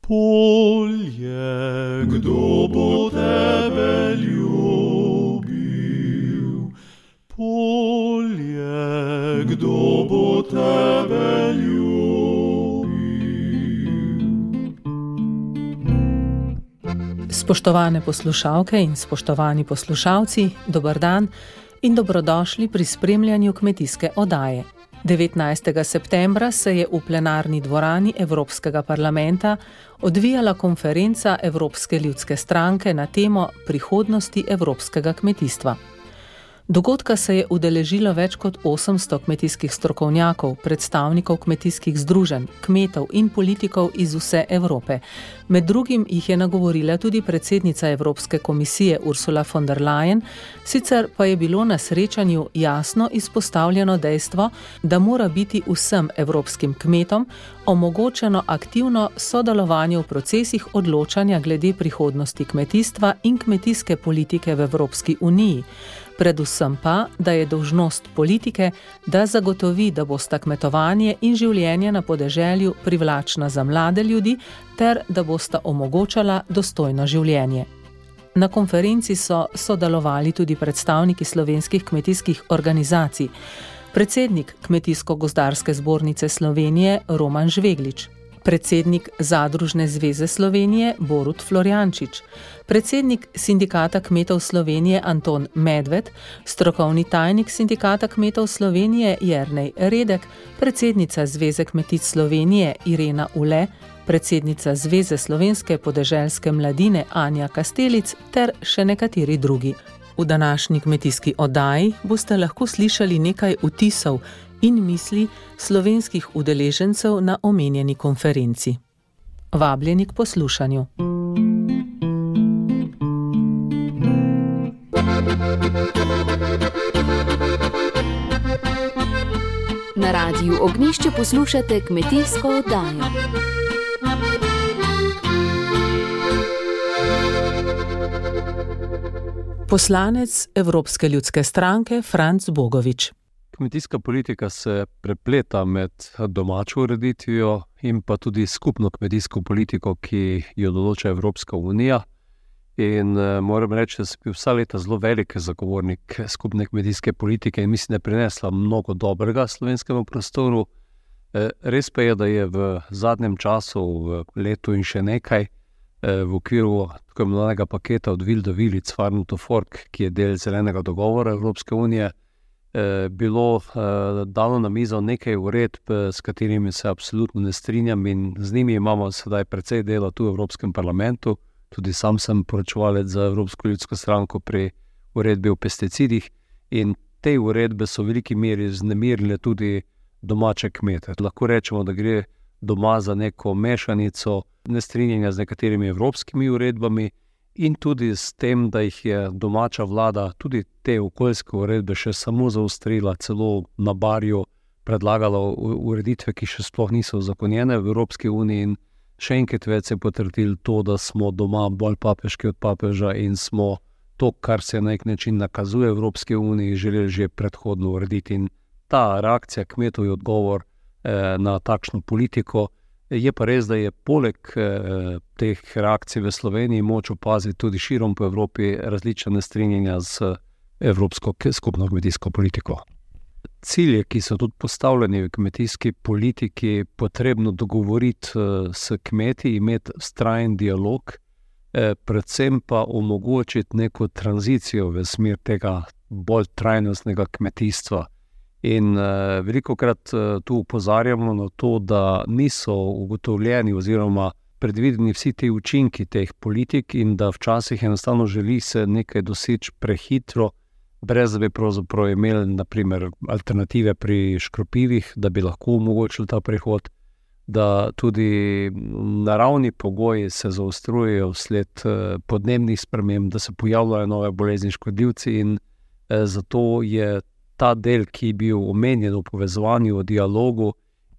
Polje, kdo bo tebe ljubil? Polje, kdo bo tebe ljubil? Spoštovane poslušalke in spoštovani poslušalci, dober dan in dobrodošli pri spremljanju kmetijske oddaje. 19. septembra se je v plenarni dvorani Evropskega parlamenta odvijala konferenca Evropske ljudske stranke na temo prihodnosti evropskega kmetijstva. Dogodka se je udeležilo več kot 800 kmetijskih strokovnjakov, predstavnikov kmetijskih združenj, kmetov in politikov iz vse Evrope. Med drugim jih je nagovorila tudi predsednica Evropske komisije Ursula von der Leyen, sicer pa je bilo na srečanju jasno izpostavljeno dejstvo, da mora biti vsem evropskim kmetom omogočeno aktivno sodelovanje v procesih odločanja glede prihodnosti kmetijstva in kmetijske politike v Evropski uniji. Predvsem pa, da je dolžnost politike, da zagotovi, da bosta kmetovanje in življenje na podeželju privlačna za mlade ljudi ter da bosta omogočala dostojno življenje. Na konferenci so sodelovali tudi predstavniki slovenskih kmetijskih organizacij, predsednik Kmetijsko-gozdarske zbornice Slovenije Roman Žveglič, predsednik Zadružne zveze Slovenije Borut Florjančič, predsednik Sindikata kmetov Slovenije Anton Medved, strokovni tajnik Sindikata kmetov Slovenije Jernej Redek, predsednica Zveze kmetic Slovenije Irena Ule, predsednica Zveze slovenske podeželske mladine Anja Kastelic ter še nekateri drugi. V današnji kmetijski oddaji boste lahko slišali nekaj vtisov in misli slovenskih udeležencev na omenjeni konferenci. Vabljeni k poslušanju. Na Radiu Ognjišče poslušate kmetijsko oddajo. Poslanec Evropske ljudske stranke Franc Bogovič. Kmetijska politika se prepleta med domačo ureditvijo in pa tudi skupno kmetijsko politiko, ki jo določa Evropska unija. In moram reči, da sem bil vsa leta zelo velik zagovornik skupne kmetijske politike in mislim, da je prinesla mnogo dobrega slovenskemu prostoru. Res pa je, da je v zadnjem času, v letu in še nekaj, v okviru tako imenovanega paketa od Will do Will, It's Farm to Fork, ki je del zelenega dogovora Evropske unije, bilo dano na mizo nekaj uredb, s katerimi se absolutno ne strinjam in z njimi imamo sedaj precej dela tu v Evropskem parlamentu. Tudi sam sem poročevalec za Evropsko ljudsko stranko pri uredbi o pesticidih in te uredbe so v veliki meri znemirile tudi domače kmete. Lahko rečemo, da gre doma za neko mešanico nestrinjanja z nekaterimi evropskimi uredbami in tudi s tem, da jih je domača vlada tudi te okoljske uredbe še samo zaostrila, celo na barju predlagala ureditve, ki še sploh niso uzakonjene v Evropski uniji in še enkrat več se je potrdilo to, da smo doma bolj papeški od papeža in smo to, kar se na nek način nakazuje Evropske uniji, želeli že predhodno urediti. In ta reakcija kmetov je odgovor na takšno politiko. Je pa res, da je poleg teh reakcij v Sloveniji moč opaziti tudi širom po Evropi različna nestrinjanja z evropsko skupno kmetijsko politiko. Cilje, ki so tudi postavljeni v kmetijski politiki, potrebno dogovoriti s kmeti, imeti vztrajen dialog, predvsem pa omogočiti neko tranzicijo v smer tega bolj trajnostnega kmetijstva. In velikokrat tu opozarjamo na to, da niso ugotovljeni oziroma predvideni vsi te učinki teh politik in da včasih enostavno želi se nekaj doseči prehitro, brez da bi pravzaprav imeli naprimer alternative pri škropivih, da bi lahko omogočili ta prehod, da tudi naravni pogoji se zaostrujejo vsled podnebnih sprememb, da se pojavljajo nove bolezni škodljivci in zato je ta del, ki je bil omenjen v povezovanju, v dialogu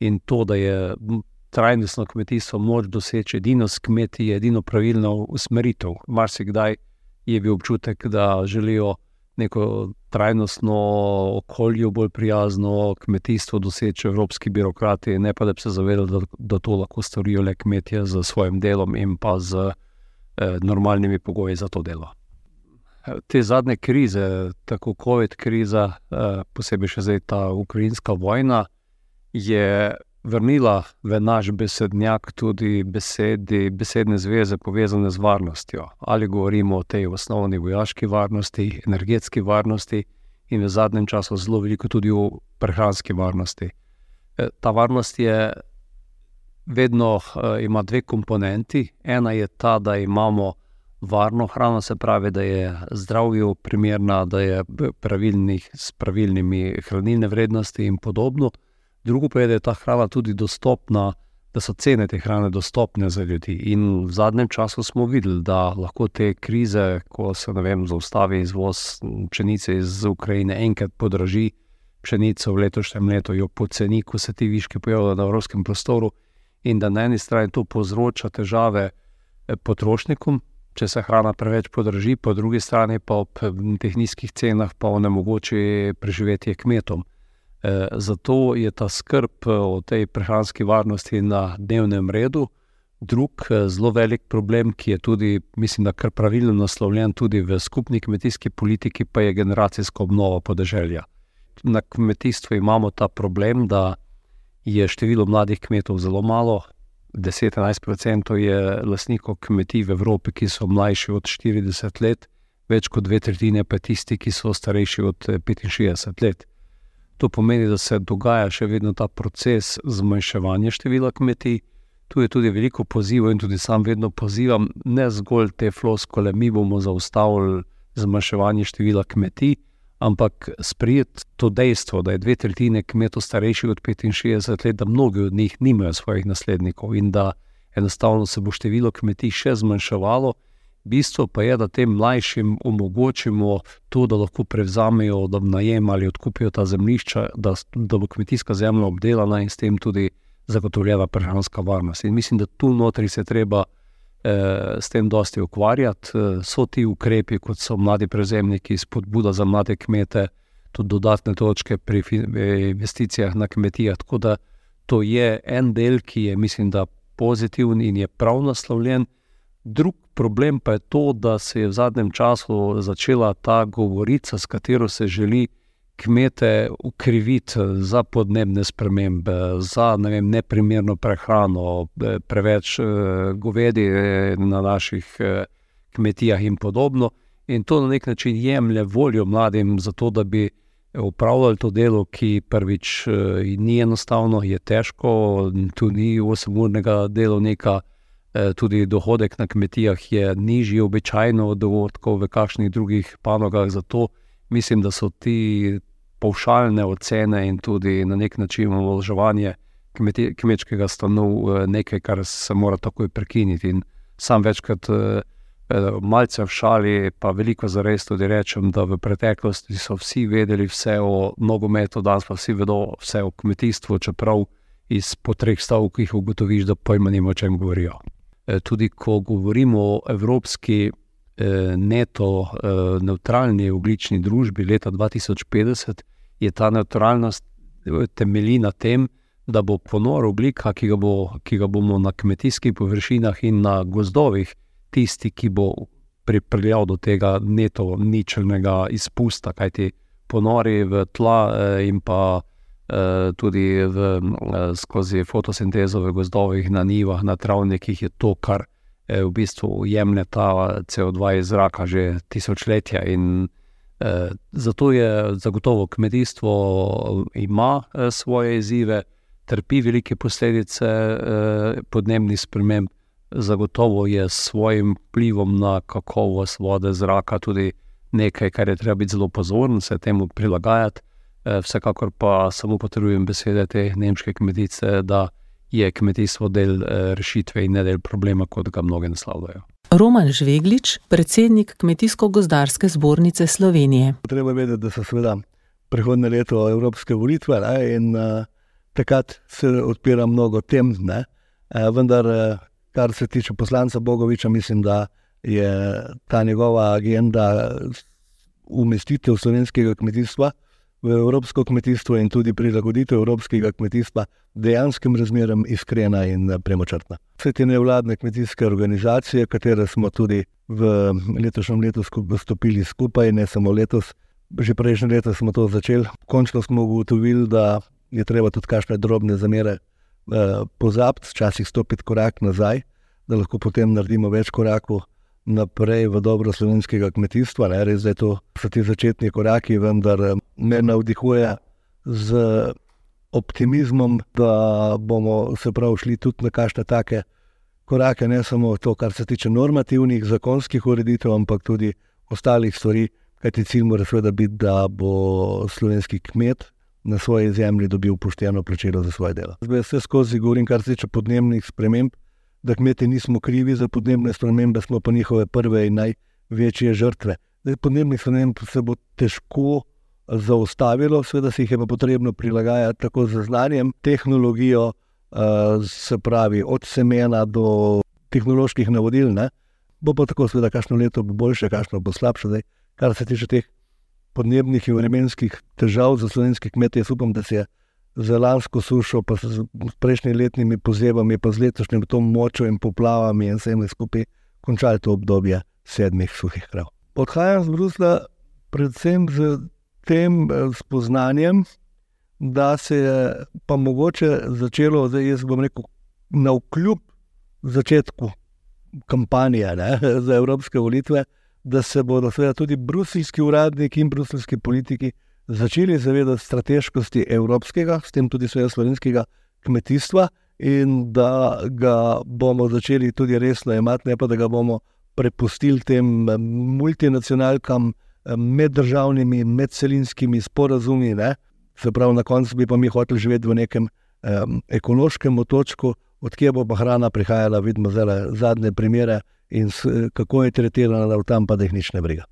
in to, da je trajnostno kmetijstvo moč doseči edino s kmeti, je edino pravilno usmeritev. Marsikdaj je bil občutek, da želijo neko trajnostno, okolju bolj prijazno kmetijstvo doseči evropski birokrati, ne pa da bi se zavedali, da to lahko storijo le kmetje z svojim delom in pa z normalnimi pogoji za to delo. Te zadnje krize, tako COVID kriza, posebej še zdaj ta ukrajinska vojna, je vrnila v naš besednjak tudi besedne zveze povezane z varnostjo. Ali govorimo o tej osnovni vojaški varnosti, energetski varnosti in v zadnjem času zelo veliko tudi o prehranski varnosti. Ta varnost vedno ima dve komponenti. Ena je ta, da imamo varno hrano, se pravi, da je zdravju primerna, da je s pravilnimi hranilne vrednosti in podobno. Drugo pa je, da je ta hrana tudi dostopna, da so cene te hrane dostopne za ljudi. In v zadnjem času smo videli, da lahko te krize, ko se, zaustavi izvoz pšenice iz Ukrajine, enkrat podraži pšenico v letošnjem letu, jo poceni, ko se ti viški pojavljajo na evropskem prostoru, in da na eni strani to povzroča težave potrošnikom, če se hrana preveč podraži, po drugi strani pa ob teh nizkih cenah pa onemogoči preživetje kmetom. Zato je ta skrb o tej prehranski varnosti na dnevnem redu. Drug zelo velik problem, ki je tudi, mislim, da kar pravilno naslovljen tudi v skupni kmetijski politiki, pa je generacijska obnova podeželja. Na kmetijstvu imamo ta problem, da je število mladih kmetov zelo malo. 10-11% je lastnikov kmetij v Evropi, ki so mlajši od 40 let, več kot 2/3 pa tisti, ki so starejši od 65 let. To pomeni, da se dogaja še vedno ta proces zmanjševanja števila kmetij. Tu je tudi veliko pozivov in tudi sam vedno pozivam, ne zgolj te floskole, mi bomo zaustavili zmanjševanje števila kmetij, ampak sprejeti to dejstvo, da je 2/3 kmetov starejših od 65 let, da mnogi od njih nimajo svojih naslednikov in da enostavno se bo število kmetij še zmanjševalo. Bistvo pa je, da tem mlajšim omogočimo to, da lahko prevzamejo, da najem ali odkupijo ta zemljišča, da bo kmetijska zemlja obdelana in s tem tudi zagotovljena prehranska varnost. In mislim, da tu notri se treba s tem dosti ukvarjati. So ti ukrepi, kot so mladi prevzemniki, spodbuda za mlade kmete, tudi dodatne točke pri investicijah na kmetijah. Tako da to je en del, ki je, mislim, da pozitiven in je prav naslovljen. Drug problem pa je to, da se je v zadnjem času začela ta govorica, s katero se želi kmete ukriviti za podnebne spremembe, za neprimerno prehrano, preveč govedi na naših kmetijah in podobno. In to na nek način jemlje voljo mladim za to, da bi opravljali to delo, ki prvič ni enostavno, je težko, tu ni 8-urnega delovnika, tudi dohodek na kmetijah je nižji običajno od dohodkov v kakšnih drugih panogah, zato mislim, da so ti pavšalne ocene in tudi na nek način omalovaževanje kmečkega stanu nekaj, kar se mora takoj prekiniti. In sam večkrat malce v šali, pa veliko zares tudi rečem, da v preteklosti so vsi vedeli vse o nogometu, danes pa vsi vedo vse o kmetijstvu, čeprav po 3 stavkih ugotoviš, da pojma nima, o čem govorijo. Tudi ko govorimo o evropski neto nevtralni ogljični družbi leta 2050, je ta nevtralnost temelji na tem, da bo ponor ogljika, ki ga bomo na kmetijskih površinah in na gozdovih, tisti, ki bo pripeljal do tega neto ničelnega izpusta, kajti ponori v tla in pa tudi skozi fotosintezo v gozdovih, na njivah, na travnikih je to, kar v bistvu jemlje ta CO2 iz zraka že tisočletja. In zato je zagotovo kmetijstvo ima svoje izzive, trpi velike posledice podnebnih sprememb, zagotovo je s svojim vplivom na kakovost vode, zraka tudi nekaj, kar je treba biti zelo pozoren, se temu prilagajati. Vsekakor pa samo potrebujem besede te nemške kmetice, da je kmetijstvo del rešitve in ne del problema, kot ga mnoge naslavljajo. Roman Žveglič, predsednik Kmetijsko-gozdarske zbornice Slovenije. Treba vedeti, da so seveda prihodnje leto evropske volitve in takrat se odpira mnogo tem, vendar kar se tiče poslanca Bogoviča, mislim, da je ta njegova agenda umestitev slovenskega kmetijstva v evropsko kmetijstvo in tudi prilagoditev evropskega kmetijstva dejanskim razmeram iskrena in premočrtna. Vse te nevladne kmetijske organizacije, katere smo tudi v letošnjem letu stopili skupaj, ne samo letos, že prejšnje leto smo to začeli. Končno smo ugotovili, da je treba tudi kakšne drobne zamere pozabiti, včasih stopiti korak nazaj, da lahko potem naredimo več korakov naprej v dobro slovenskega kmetijstva. Res, da so ti začetni koraki, vendar me navdihuje z optimizmom, da bomo se prav šli tudi na kakšne take korake, ne samo to, kar se tiče normativnih, zakonskih ureditev, ampak tudi ostalih stvari, kajti cilj mora seveda biti, da bo slovenski kmet na svoji zemlji dobil pošteno plačilo za svoje delo. Zdaj vse skozi govorim, kar se tiče podnebnih sprememb, da kmeti nismo krivi za podnebne spremembe, smo pa njihove prve in največje žrtve. Podnebnih sprememb se bo težko zaustavilo, seveda se jih je pa potrebno prilagajati tako z znanjem, tehnologijo, se pravi od semena do tehnoloških navodil, ne? Bo pa tako seveda kakšno leto bo boljše, kakšno bo slabše. Zdaj, kar se tiče teh podnebnih in vremenskih težav za slovenske kmete, jaz upam, da se je za lansko sušo, pa s prejšnjimi letnimi pozebami, pa z letošnjim to močjo in poplavami in vsem skupaj končali to obdobje 7 suhih krav. Odhajam z Bruslja predvsem z tem spoznanjem, da se je pa mogoče začelo, zdaj jaz bom rekel, navkljub začetku kampanje za evropske volitve, da se bodo seveda tudi bruseljski uradniki in bruseljski politiki začeli zavedati strateškosti evropskega, s tem tudi seveda slovenskega kmetijstva in da ga bomo začeli tudi resno jemati, ne pa da ga bomo prepustili tem multinacionalkam, meddržavnimi, medcelinskimi sporazumi, ne? Se pravi, na koncu bi pa mi hoteli živeti v nekem ekološkem otočku, odkje bo pa hrana prihajala, vidimo zdaj zadnje primere in kako je tretirana tam, pa da jih nič ne briga.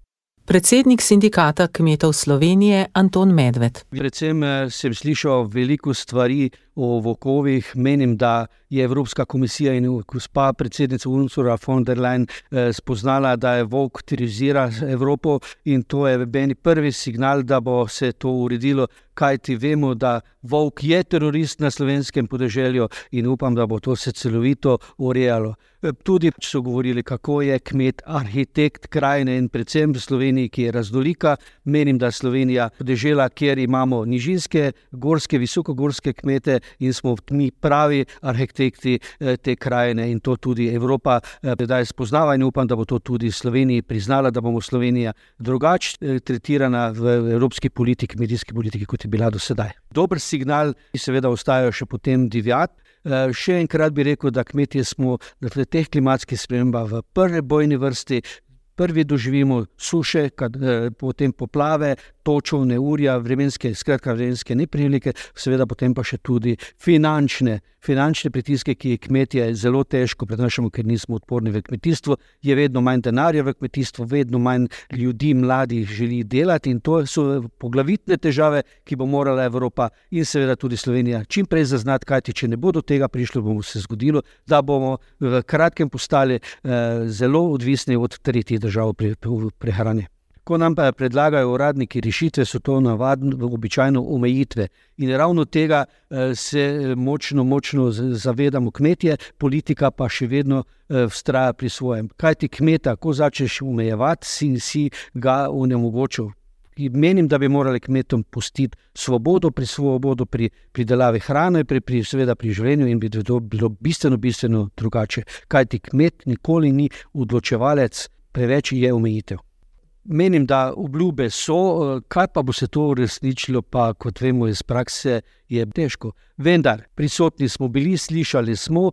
Predsednik Sindikata kmetov Slovenije Anton Medved. Predvsem sem slišal veliko stvari o volkovih. Menim, da je Evropska komisija in gospa predsednica Ursula von der Leyen spoznala, da je volk terorizira Evropo in to je meni prvi signal, da bo se to uredilo, kajti vemo, da volk je terorist na slovenskem podeželju in upam, da bo to se celovito urejalo. Tudi so govorili, kako je kmet arhitekt krajine in predvsem v Sloveniji, ki je raznolika. Menim, da Slovenija podežela, kjer imamo nižinske, gorske, visokogorske kmete in smo mi pravi arhitekti te krajine in to tudi Evropa sedaj spoznava in upam, da bo to tudi Sloveniji priznala, da bomo Slovenija drugače tretirana v evropski politiki, medijski politiki, kot je bila do sedaj. Dober signal, ki seveda ostajajo še potem divjati. Še enkrat bi rekel, da kmetje smo na teh klimatskih spremembah v prvi bojni vrsti, prvi doživimo suše, potem poplave, točo, neurja, vremenske neprilike, seveda potem pa še tudi finančne pritiske, ki kmetje zelo težko prenašamo, ker nismo odporni v kmetijstvu, je vedno manj denarja v kmetijstvu, vedno manj ljudi, mladih želi delati in to so poglavitne težave, ki bo morala Evropa in seveda tudi Slovenija čim prej zaznati, kajti če ne bo do tega prišlo, bomo se zgodilo, da bomo v kratkem postali zelo odvisni od tretjih držav pri prehrani. Ko nam pa predlagajo uradniki rešitve, so to običajno omejitve. In ravno tega se močno zavedamo kmetje, politika pa še vedno vztraja pri svojem. Kaj ti kmeta, ko začneš omejevati, si ga onemogočil. Menim, da bi morali kmetom pustiti svobodo pri pridelavi hrane, seveda pri življenju in bi to bilo bistveno drugače. Kaj ti kmet nikoli ni odločevalec, preveč je omejitev. Menim, da obljube so, kaj pa bo se to uresničilo, pa kot vemo iz prakse je težko. Vendar, prisotni smo bili, slišali smo,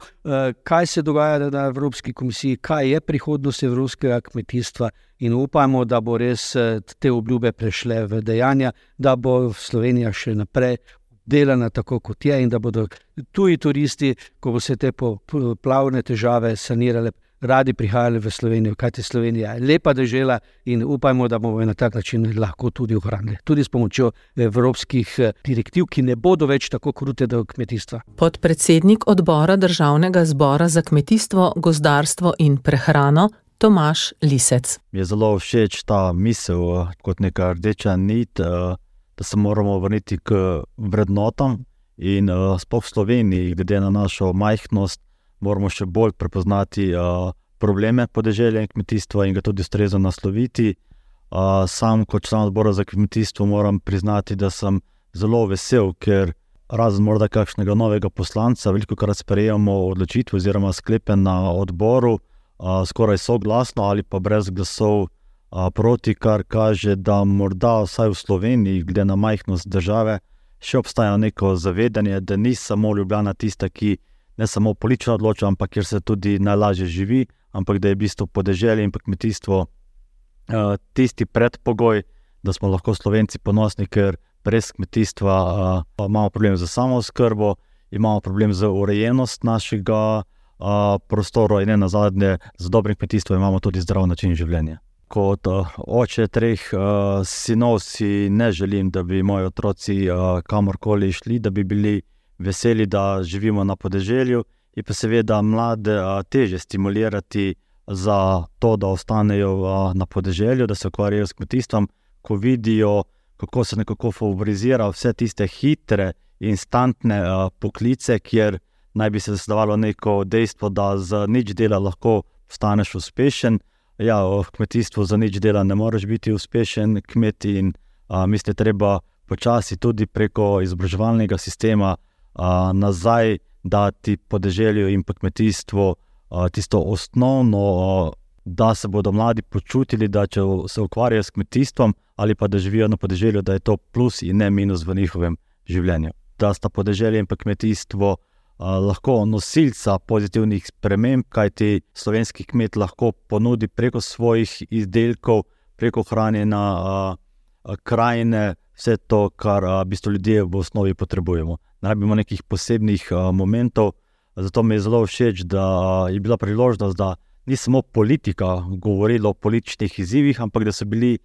kaj se dogaja na Evropski komisiji, kaj je prihodnost evropskega kmetijstva in upamo, da bo res te obljube prešle v dejanja, da bo Slovenija še naprej delana tako, kot je in da bodo tuji turisti, ko bo se te poplavne težave sanirale, radi prihajali v Slovenijo, kajti Slovenija je lepa dežela in upajmo, da bomo na tak način lahko tudi ohranili. Tudi s pomočjo evropskih direktiv, ki ne bodo več tako krute do kmetijstva. Podpredsednik odbora Državnega zbora za kmetijstvo, gozdarstvo in prehrano Tomaž Lisec. Mi je zelo všeč ta misel kot neka rdeča nit, da se moramo vrniti k vrednotam in sploh v Sloveniji, glede na našo majhnost, moramo še bolj prepoznati probleme podeželja in kmetijstva in ga tudi ustrezno nasloviti. Sam kot član odbora za kmetijstvo moram priznati, da sem zelo vesel, ker razen morda kakšnega novega poslanca, velikokrat sprejemamo odločitve oziroma sklepe na odboru, skoraj soglasno ali pa brez glasov proti, kar kaže, da morda vsaj v Sloveniji, glede na majhnost države, še obstaja neko zavedanje, da ni samo Ljubljana tista, ki ne samo politično odloča, ampak kjer se tudi najlažje živi, ampak da je v bistvu podeželje in pa kmetijstvo tisti predpogoj, da smo lahko Slovenci ponosni, ker brez kmetijstva imamo problem z samooskrbo, imamo problem z urejenost našega prostora in ne nazadnje z dobrim kmetijstvom imamo tudi zdrav način življenja. Kot oče 3 sinov si ne želim, da bi moji otroci kamorkoli šli, da bi bili veseli, da živimo na podeželju, in pa seveda mlade težje stimulirati za to, da ostanejo na podeželju, da se ukvarjajo s kmetijstvom, ko vidijo, kako se nekako favorizira vse tiste hitre, instantne poklice, kjer naj bi se zasledovalo neko dejstvo, da z nič dela lahko postaneš uspešen. Ja, v kmetijstvu za nič dela ne moreš biti uspešen kmet in mislim, treba počasi tudi preko izobraževalnega sistema nazaj dati podeželju in pa kmetijstvu tisto osnovno, da se bodo mladi počutili, da če se ukvarjajo s kmetijstvom ali pa da živijo na podeželju, da je to plus in ne minus v njihovem življenju. Da sta podeželje in pa kmetijstvo lahko nosilca pozitivnih sprememb, kajti slovenski kmet lahko ponudi preko svojih izdelkov, preko hranjenja krajine, vse to, kar v bistvu ljudje v osnovi potrebujemo. Ne rabimo nekih posebnih momentov, zato mi je zelo všeč, da je bila priložnost, da ni samo politika govorila o političnih izzivih, ampak da so bili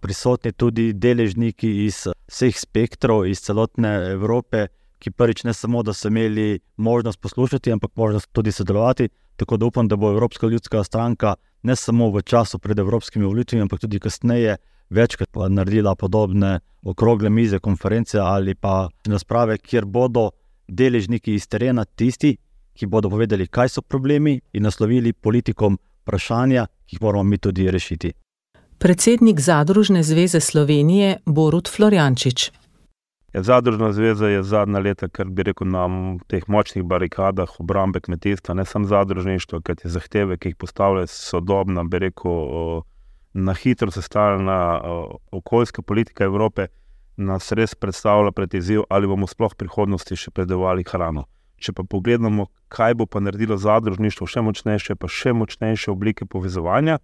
prisotni tudi deležniki iz vseh spektrov, iz celotne Evrope, ki prvič ne samo, da so imeli možnost poslušati, ampak možnost tudi sodelovati, tako da upam, da bo Evropska ljudska stranka ne samo v času pred evropskimi volitvami, ampak tudi kasneje večkrat naredila podobne okrogle mize, konference ali pa razprave, kjer bodo deležniki iz terena tisti, ki bodo povedali, kaj so problemi in naslovili politikom vprašanja, ki jih moramo mi tudi rešiti. Predsednik Zadružne zveze Slovenije Borut Florjančič. Zadružna zveza je zadnja leta, kar bi rekel, na teh močnih barikadah obrambe kmetijstva, ne samo zadružništvo, ker te zahteve, ki jih postavlja sodobna, bi rekel, na hitro sestavljena okoljska politika Evrope, nas res predstavlja pred izziv, ali bomo sploh v prihodnosti še predelovali hrano. Če pa pogledamo, kaj bo pa naredilo zadružništvo še močnejše, pa še močnejše oblike povezovanja,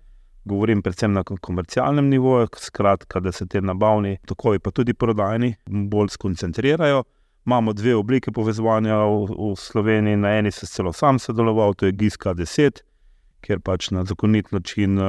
govorim predvsem na komercialnem nivoju, skratka, da se te nabavni tokovi pa tudi prodajni bolj skoncentrirajo. Imamo 2 oblike povezovanja v Sloveniji, na eni se celo sam sodeloval, to je GISKA 10, kjer pač na zakonit način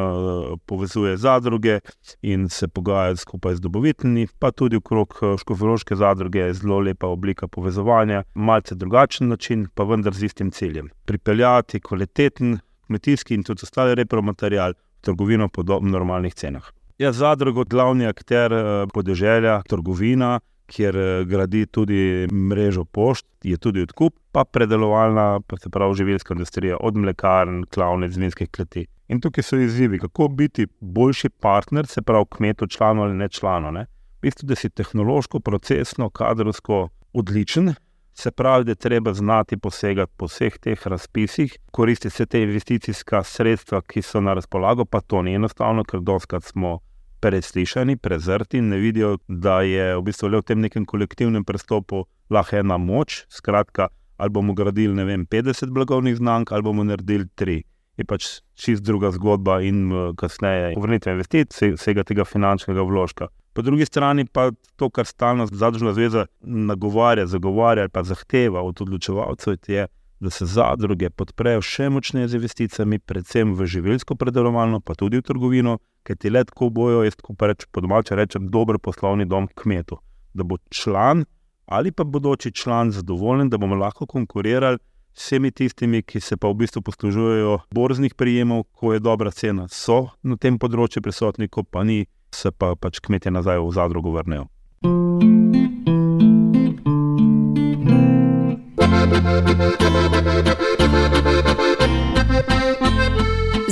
povezuje zadruge in se pogaja skupaj z dobavitelji, pa tudi okrog škofjeloške zadruge je zelo lepa oblika povezovanja, malce drugačen način, pa vendar z istim ciljem. Pripeljati kvaliteten kmetijski in tudi ostali repromaterial v trgovino po normalnih cenah. Je zadruga glavni akter podeželja, trgovina, kjer gradi tudi mrežo pošt, je tudi odkup, pa predelovalna, pa se pravi živilska industrija, od mlekarn, klavnic, vinskih kleti. In tukaj so izzivi, kako biti boljši partner, se pravi kmetu, članu ali ne članu. V bistvu, da si tehnološko, procesno, kadrovsko odličen, se pravi, da je treba znati posegati po vseh teh razpisih, koristiti vse te investicijska sredstva, ki so na razpolago, pa to ni enostavno, ker dostikrat smo preslišani, prezrti in ne vidijo, da je v bistvu le v tem nekem kolektivnem pristopu lahko ena moč, skratka, ali bomo gradili, 50 blagovnih znamk, ali bomo naredili 3. Je pač čist druga zgodba in kasneje povrnitve investicij, vsega tega finančnega vložka. Po drugi strani pa to, kar stalno Zadružna zveza nagovarja, zagovarja ali pa zahteva od odločevalcev, je, da se zadruge podprejo še močneje z investicijami, predvsem v živilsko predelovalno, pa tudi v trgovino, ker ti le tako bojo, jaz tako pa po domače rečem, dober poslovni dom kmetu. Da bo član ali pa bodoči član zadovoljen, da bomo lahko konkurirali vsemi tistimi, ki se pa v bistvu poslužujejo borznih prijemov, ko je dobra cena, so na tem področju prisotni, ko pa ni, se pa pač kmetje nazaj v zadrugo vrnejo.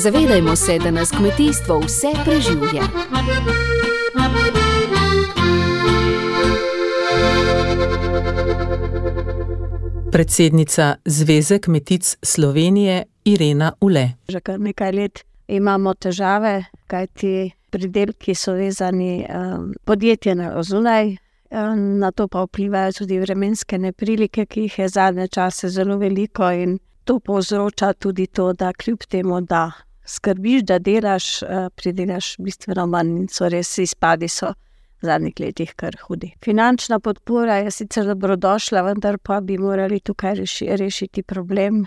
Zavedajmo se, da nas kmetijstvo vse preživlja. Predsednica Zveze kmetic Slovenije Irena Ule. Že kar nekaj let imamo težave, kajti pridelki so vezani podjetje na zunaj, na to pa vplivajo tudi vremenske neprilike, ki jih je zadnje čase zelo veliko, in to povzroča tudi to, da kljub temu, da skrbiš, da delaš, pridelaš bistveno manj, in so res izpadi so v zadnjih letih kar hudi. Finančna podpora je sicer dobrodošla, vendar pa bi morali tukaj rešiti problem,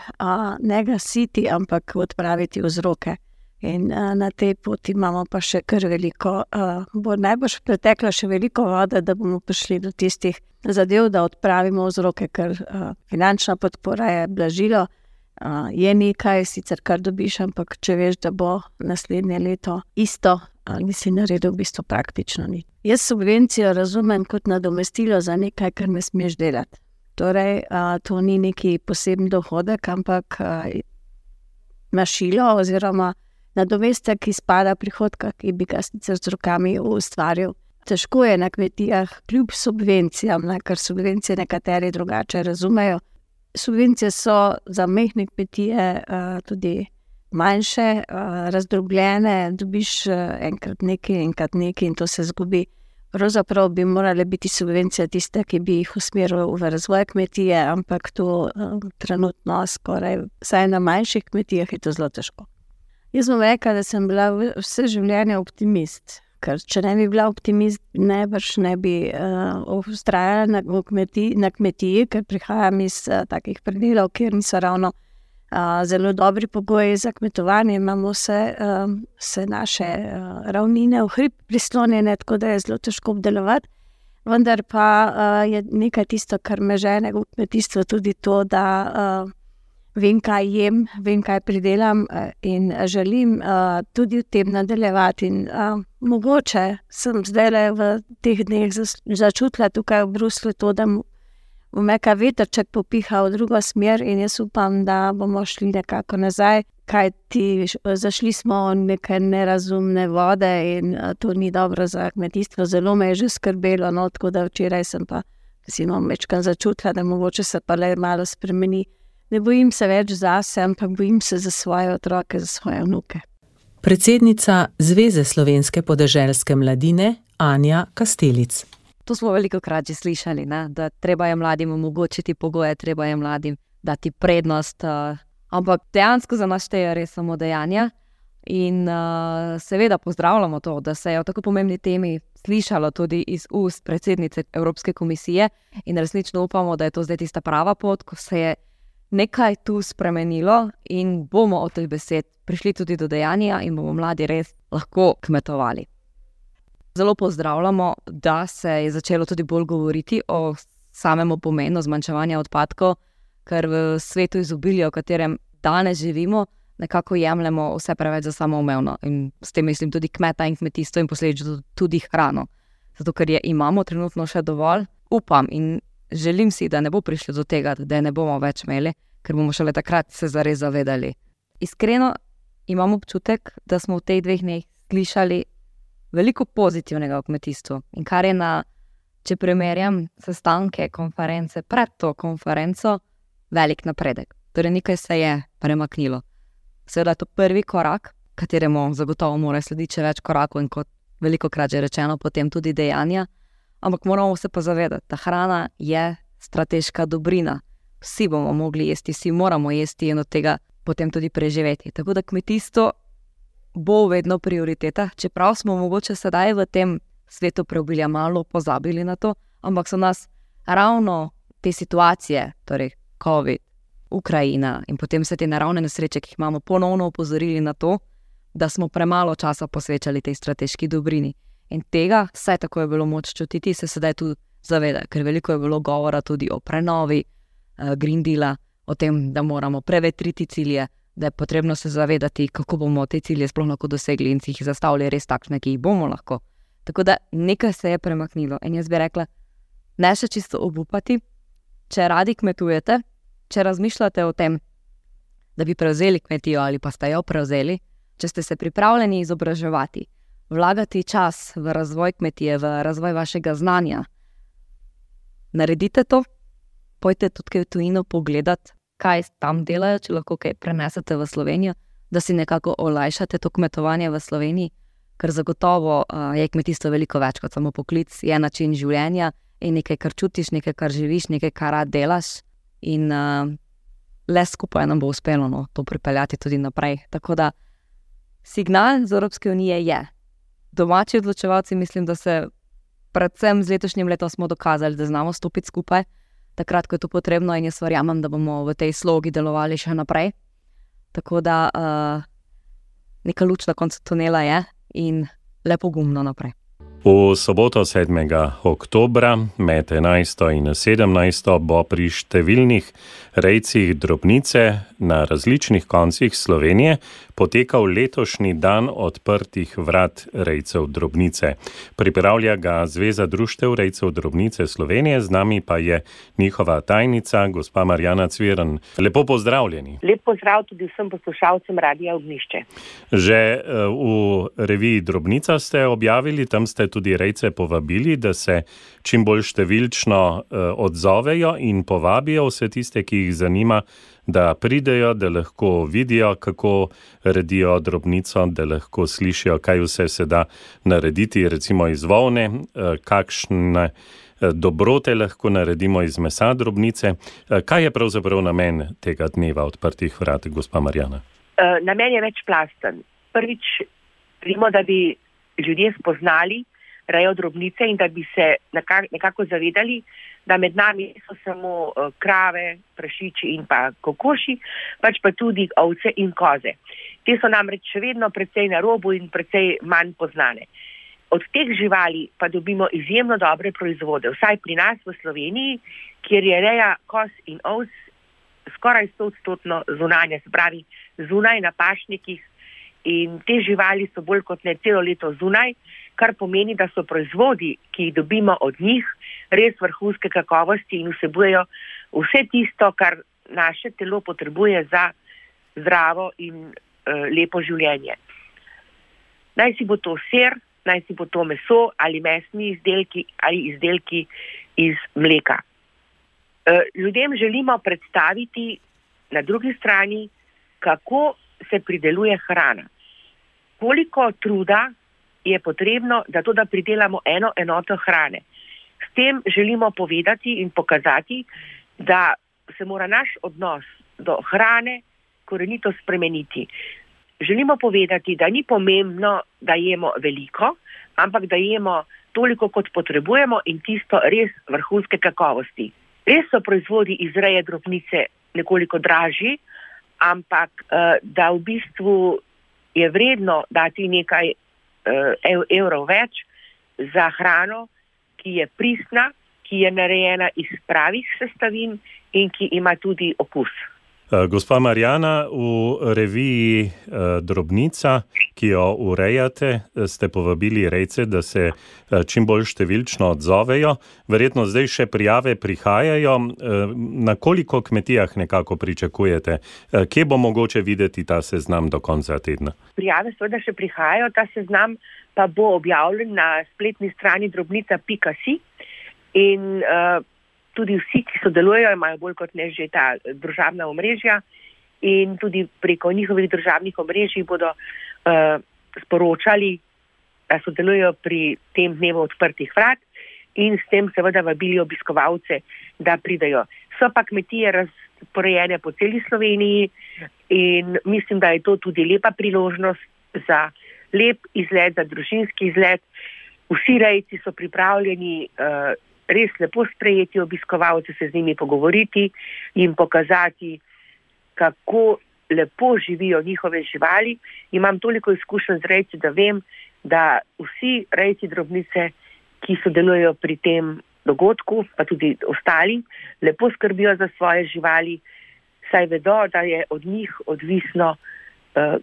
ne gasiti, ampak odpraviti vzroke. In na tej poti imamo pa še kar veliko, bo najbrž pretekla še veliko vode, da bomo prišli do tistih zadev, da odpravimo vzroke, ker finančna podpora je blažilo, je nekaj, sicer kar dobiš, ampak če veš, da bo naslednje leto isto, nisi naredil v bistvu praktično nič. Jaz subvencijo razumem kot nadomestilo za nekaj, kar ne smeš delati. Torej, to ni neki poseben dohodek, ampak mašilo oziroma nadomestek izpada prihodka, ki bi ga sicer z rokami ustvaril. Težko je na kmetijah, kljub subvencijam, ker subvencije nekateri drugače razumejo. Subvencije so za majhne kmetije tudi manjše, razdrobljene, dobiš enkrat nekaj in to se zgubi. Pravzaprav bi morale biti subvencije tiste, ki bi jih usmerili v razvoj kmetije, ampak to trenutno skoraj, vsaj na manjših kmetijah je to zelo težko. Jaz bom rekla, da sem bila vse življenje optimist, ker če ne bi bila optimist, najbrž ne bi vztrajala na kmetiji, ker prihajam iz takih predelov, kjer niso ravno zelo dobri pogoji za kmetovanje, imamo vse naše ravnine v hrib prislonjene, tako da je zelo težko obdelovati, vendar pa je nekaj tisto, kar me žene v kmetijstvu, tudi to, da vem, kaj jem, vem, kaj pridelam, in želim tudi v tem nadaljevati. In mogoče sem zdaj v teh dneh začutila tukaj v Bruslju to, da bo neka vetrček popiha v drugo smer, in jaz upam, da bomo šli nekako nazaj, kajti zašli smo v neke nerazumne vode in to ni dobro za kmetijstvo. Zelo me je že skrbelo, tako da včeraj sem pa večkrat začutila, da mogoče se pa le malo spremeni. Ne bojim se več zase, ampak bojim se za svoje otroke, za svoje vnuke. Predsednica Zveze slovenske podeželske mladine Anja Kastelic. To smo velikokrat že slišali, da treba je mladim omogočiti pogoje, treba je mladim dati prednost, ampak dejansko za nas štejejo res samo dejanja. In seveda pozdravljamo to, da se je o tako pomembni temi slišalo tudi iz ust predsednice Evropske komisije, in resnično upamo, da je to zdaj tista prava pot, ko se je nekaj tu spremenilo in bomo od teh besed prišli tudi do dejanja in bomo mladi res lahko kmetovali. Zelo pozdravljamo, da se je začelo tudi bolj govoriti o samem pomenu zmanjševanja odpadkov, ker v svetu izobilja, v katerem danes živimo, nekako jemljemo vse preveč za samoumevno. In s tem mislim tudi kmeta in kmetijstvo in posledično tudi hrano. Zato, ker je imamo trenutno še dovolj, upam in želim si, da ne bo prišlo do tega, da ne bomo več imeli, ker bomo šele takrat se zares zavedali. Iskreno imam občutek, da smo v teh 2 dneh slišali veliko pozitivnega v kmetijstvu. In kar je če primerjam sestanke, konference, pred to konferenco, velik napredek. Torej nekaj se je premaknilo. Seveda je to prvi korak, kateremu zagotovo mora slediti še več korakov in kot velikokrat že rečeno, potem tudi dejanja. Ampak moramo se pa zavedati, da hrana je strateška dobrina. Vsi bomo mogli jesti, vsi moramo jesti in od tega potem tudi preživeti. Tako da kmetijstvo bo vedno prioriteta, čeprav smo mogoče sedaj v tem svetu preobilja malo pozabili na to, ampak so nas ravno te situacije, torej COVID, Ukrajina in potem vse te naravne nesreče, ki jih imamo, ponovno opozorili na to, da smo premalo časa posvečali tej strateški dobrini. In tega, vsaj tako je bilo moč čutiti, se sedaj tu zaveda, ker veliko je bilo govora tudi o prenovi Green Deala, o tem, da moramo prevetriti cilje, da je potrebno se zavedati, kako bomo te cilje sploh lahko dosegli in si jih zastavili res takšne, ki jih bomo lahko. Tako da nekaj se je premaknilo in jaz bi rekla, ne še čisto obupati, če radi kmetujete, če razmišljate o tem, da bi prevzeli kmetijo ali pa ste jo prevzeli, če ste se pripravljeni izobraževati, vlagati čas v razvoj kmetije, v razvoj vašega znanja, naredite to, pojte tudi v tujino pogledati, kaj tam delajo, če lahko kaj prenesete v Slovenijo, da si nekako olajšate to kmetovanje v Sloveniji, ker zagotovo je kmetijstvo veliko več kot samo poklic, je način življenja in nekaj, kar čutiš, nekaj, kar živiš, nekaj, kar rad delaš in le skupaj nam bo uspelo to pripeljati tudi naprej. Tako da signal z Evropske unije je. Domači odločevalci mislim, da se predvsem z letošnjim letom smo dokazali, da znamo stopiti skupaj, takrat, ko je to potrebno in jaz verjamem, da bomo v tej slogi delovali še naprej. Tako da neka luč na koncu tunela je in lepo gumno naprej. V soboto 7. oktobra med 11. in 17. bo pri številnih rejcih drobnice na različnih koncih Slovenije potekal letošnji dan odprtih vrat rejcev drobnice. Pripravlja ga Zveza društev rejcev drobnice Slovenije, z nami pa je njihova tajnica, gospa Marjana Cviren. Lepo pozdravljeni. Lep pozdrav tudi vsem poslušalcem Radia Ognjišče. Že v reviji Drobnica ste objavili, tam ste tudi rejce povabili, da se čim bolj številčno odzovejo in povabijo vse tiste, ki jih zanima, da pridejo, da lahko vidijo, kako redijo drobnico, da lahko slišijo, kaj vse se da narediti, recimo iz volne, kakšne dobrote lahko naredimo iz mesa drobnice. Kaj je pravzaprav namen tega dneva odprtih vrat, gospa Marjana? Namen je večplasten. Prvič, želimo, da bi ljudje spoznali rejo drobnice in da bi se nekako zavedali, da med nami so samo krave, prašiči in pa kokoši, pač pa tudi ovce in koze. Te so namreč še vedno precej na robu in precej manj poznane. Od teh živali pa dobimo izjemno dobre proizvode, vsaj pri nas v Sloveniji, kjer je reja koz in ovc skoraj 100% zunanja, se pravi zunaj na pašnikih, in te živali so bolj kot ne celo leto zunaj, kar pomeni, da so proizvodi, ki jih dobimo od njih, res vrhunske kakovosti in vsebujejo vse tisto, kar naše telo potrebuje za zdravo in lepo življenje. Naj si bo to sir, naj si bo to meso ali mesni izdelki ali izdelki iz mleka. Ljudem želimo predstaviti na drugi strani, kako se prideluje hrana. Koliko truda je potrebno, da pridelamo eno enoto hrane. S tem želimo povedati in pokazati, da se mora naš odnos do hrane korenito spremeniti. Želimo povedati, da ni pomembno, da jemo veliko, ampak da jemo toliko, kot potrebujemo in tisto res vrhunske kakovosti. Res so proizvodi iz reje drobnice nekoliko dražji, ampak da v bistvu je vredno dati nekaj evrov več za hrano, ki je pristna, ki je narejena iz pravih sestavin in ki ima tudi okus. Gospa Marjana, v reviji Drobnica, ki jo urejate, ste povabili rejce, da se čim bolj številčno odzovejo. Verjetno zdaj še prijave prihajajo. Na koliko kmetijah nekako pričakujete? Kje bo mogoče videti ta seznam do konca tedna? Prijave seveda še prihajajo, ta seznam pa bo objavljen na spletni strani drobnica.si in tudi vsi, ki sodelujejo, imajo bolj kot ne že ta družabna omrežja in tudi preko njihovih družabnih omrežij bodo sporočali, da sodelujejo pri tem dnevu odprtih vrat in s tem seveda vabili obiskovalce, da pridejo. So pa kmetije razporejene po celi Sloveniji in mislim, da je to tudi lepa priložnost za lep izlet, za družinski izlet. Vsi rejci so pripravljeni res lepo sprejeti obiskovalce, se z njimi pogovoriti, jim pokazati, kako lepo živijo njihove živali. Imam toliko izkušenj z rejci, da vem, da vsi rejci drobnice, ki sodelujejo pri tem dogodku, pa tudi ostali, lepo skrbijo za svoje živali, saj vedo, da je od njih odvisno,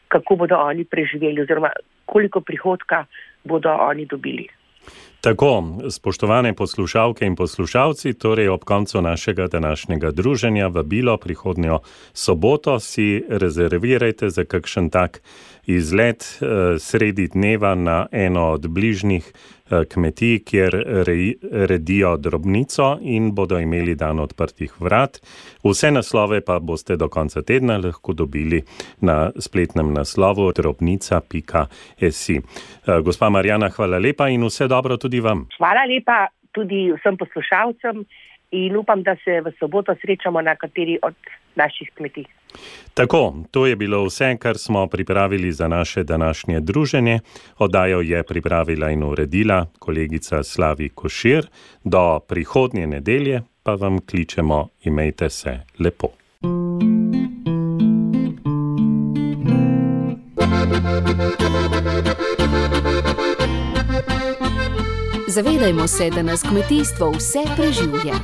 kako bodo oni preživeli oziroma koliko prihodka bodo oni dobili. Tako, spoštovane poslušalke in poslušalci, torej ob koncu našega današnjega druženja vabilo prihodnjo soboto si rezervirajte za kakšen tak izlet sredi dneva na eno od bližnjih kmetij, kjer redijo drobnico in bodo imeli dan odprtih vrat. Vse naslove pa boste do konca tedna lahko dobili na spletnem naslovu drobnica.si. Gospa Marjana, hvala lepa in vse dobro tudi vam. Hvala lepa tudi vsem poslušalcem in upam, da se v soboto srečamo na kateri od naših kmetij. Tako, to je bilo vse, kar smo pripravili za naše današnje druženje. Oddajo je pripravila in uredila kolegica Slavi Košir. Do prihodnje nedelje pa vam kličemo, imejte se lepo. Zavedajmo se, da nas kmetijstvo vse preživlja.